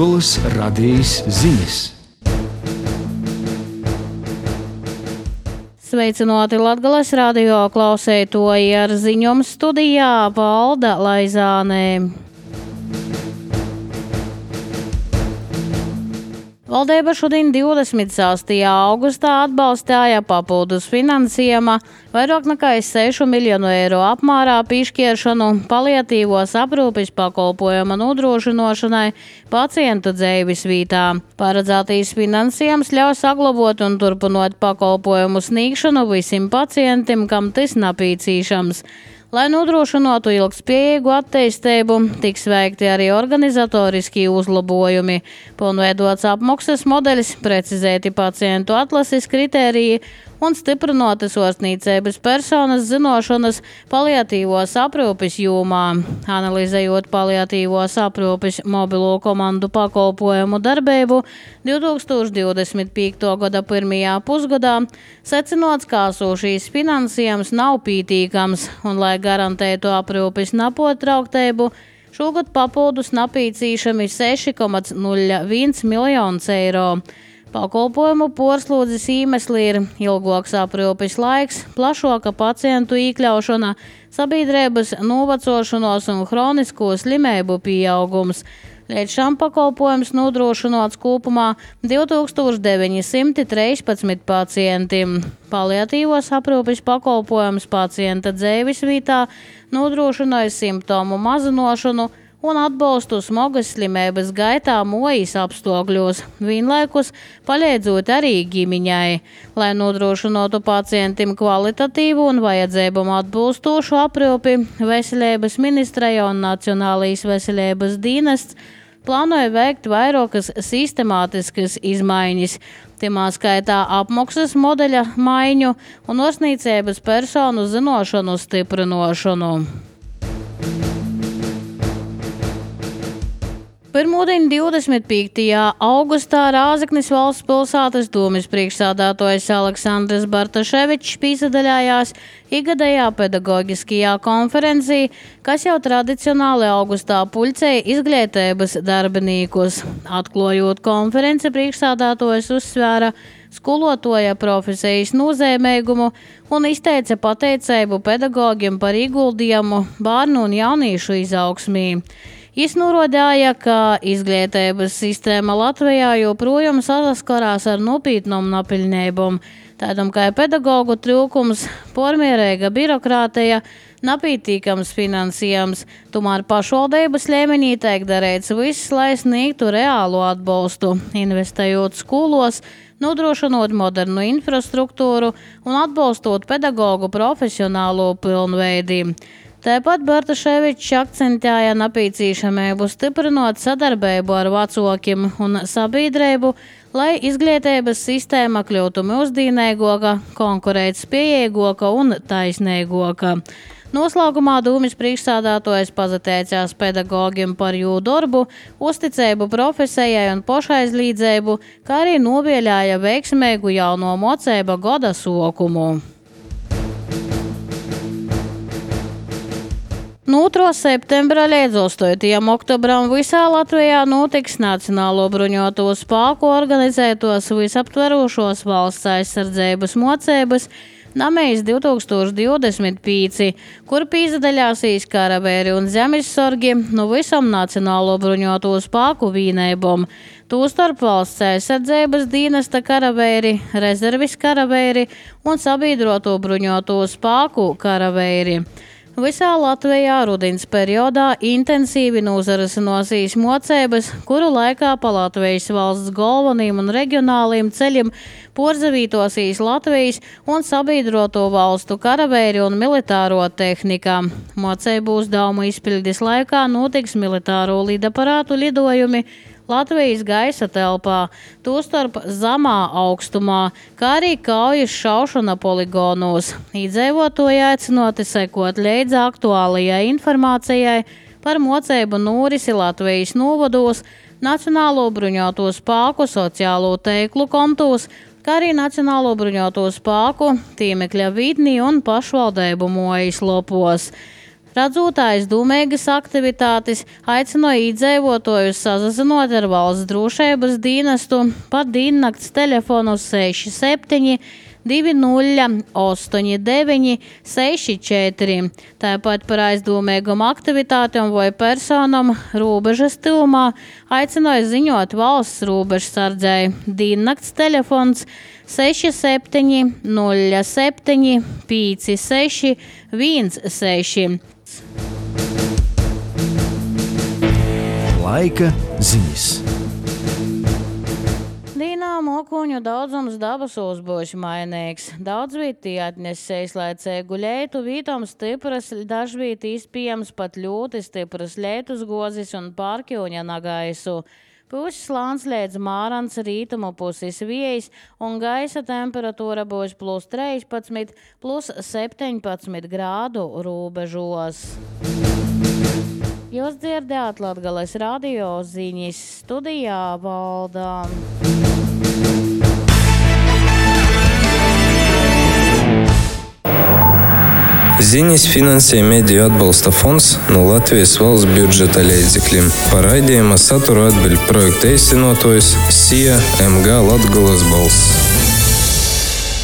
Latgolas radijas ziņas. Sveicināti Latgolas radio klausētoji, ar ziņojumu studijā Valda Laizānē. Valdība šodien 26. augustā atbalstīja papildus finansējuma vairāk nekā 6 miljonu eiro apmērā piešķiršanu paliatīvos aprūpes pakalpojumu nodrošināšanai pacientu dzīves vietā. Paredzētais finansējums ļauj saglabāt un turpināt pakalpojumu sniegšanu visiem pacientiem, kam tas nepieciešams. Lai nodrošinātu ilgspējīgu attīstību, tiks veikti arī organizatoriski uzlabojumi, pilnveidots apmaksas modeļs, precizēti pacientu atlases kritēriji un stiprinātas ārstniecības personas zināšanas paliatīvos aprūpes jomā. Analizējot paliatīvos aprūpes mobilo komandu pakalpojumu darbību 2025. gada pirmajā pusgadā, secināts, ka esošais finansējums nav pietiekams un, lai garantētu aprūpes nepārtrauktību, šogad papildus nepieciešami 6,01 miljonus eiro. Pakalpojumu porslūdzes iemesli ir ilgāks aprūpes laiks, plašāka pacientu iekļaušana, sabiedrības novecošanos un hronisko slimību pieaugums. Līdz šim pakalpojums nodrošināts kopumā 2913 pacientiem. Paliatīvos aprūpes pakalpojums pacienta dzīves vietā nodrošināja simptomu mazināšanu un atbalstu smagas slimības gaitā mojas apstākļos, vienlaikus palīdzot arī ģimeņai. Lai nodrošinātu pacientiem kvalitatīvu un vajadzībām atbilstošu aprūpi, Veselības ministrija un Nacionālais veselības dienests plānoja veikt vairākas sistemātiskas izmaiņas, timā skaitā apmaksas modeļa maiņu un ārstniecības personu zināšanu stiprināšanu. Pirmdien 25. augustā Rāzaknis valsts pilsētas domes priekšsēdētājs Aleksandrs Bartaševičs piedalījās ikgadējā pedagoģiskajā konferencē, kas jau tradicionāli augustā pulcēja izglītības darbiniekus. Atklājot konferenci, priekšsēdētājs uzsvēra skolotāja profesijas nozīmīgumu un izteica pateicību pedagogiem par ieguldījumu bērnu un jauniešu izaugsmī. Viņš norādīja, ka izglītības sistēma Latvijā joprojām saskarās ar nopietnām nepiļņībām, tādam kā pedagogu trūkums, pārmērīga birokrātija, nepietiekams finansējums. Tomēr pašvaldības līmenī tiek darīts viss, lai sniegtu reālu atbalstu, investējot skolos, nodrošinot modernu infrastruktūru un atbalstot pedagogu profesionālo pilnveidi. Tāpat Bartaševičs akcentēja nepieciešamību stiprinot sadarbību ar vecākiem un sabiedrību, lai izglītības sistēma kļūtu mūsdienīgāka, konkurētspējīgāka un taisnīgāka. Noslēgumā domes priekšsēdētājs pateicās pedagogiem par jūsu darbu, uzticību profesijai un pašaizliedzību, kā arī novēlēja veiksmīgu jauno mocību gada sokumu. No 2. septembra līdz 8. oktobram visā Latvijā notiks Nacionālo bruņoto spēku organizētos visaptverošos valsts aizsardzības mocības Namejs 2025, kur piedalīsies karavēri un zemesargi no visam Nacionālo bruņoto spēku vienībām. Tostarp valsts aizsardzības dienesta karavēri, rezervis karavēri un sabiedroto bruņoto spēku karavēri. Visā Latvijā rudens periodā intensīvi nozarasinosies mocības, kuru laikā pa Latvijas valsts galveniem un reģionāliem ceļiem porzavītosies Latvijas un sabiedroto valstu karavēri un militāro tehnika. Mocību uzdevumu izpildes laikā notiks militāro lidaparātu lidojumi Latvijas gaisa telpā, tostarp zemā augstumā, kā arī kaujas šaušana poligonos. Iedzīvotāji aicināti sekot līdzi aktuālajai informācijai par mocību norisi Latvijas novados, Nacionālo bruņoto spēku sociālo tīklu kontos, kā arī Nacionālo bruņoto spēku tīmekļa vidnī un pašvaldību mājas lopos. Redzot aizdomīgas aktivitātes, aicināja iedzīvotājus sazinot ar valsts drošības dienestu pa diennakts telefonu 67 2089 64. Tāpat par aizdomīgām aktivitātēm vai personām robežas tuvumā aicināja ziņot valsts robežsardzei. Diennakts telefons 67 07 56 16. Laika ziņas. Dīnā mokuņu daudzums dabasos būs mainīgs. Daudz vītī atnesēs, lai cēgu leitu, vītom stipras, dažvīt izpējams pat ļoti stipras leitus gozis un pārkļūņa nagaisu. Puses slāns līdz mārans rītumu puses viejas un gaisa temperatūra būs plus 13, plus 17 grādu robežos. Jūs dzirdējāt Latgales radio ziņas, studijā Valdā. Ziņas finansē Mediju atbalsta fonds no Latvijas valsts budžeta līdzekļiem. Par raidījuma saturu atbild projekta īstenotājs SIA MG Latgales balss.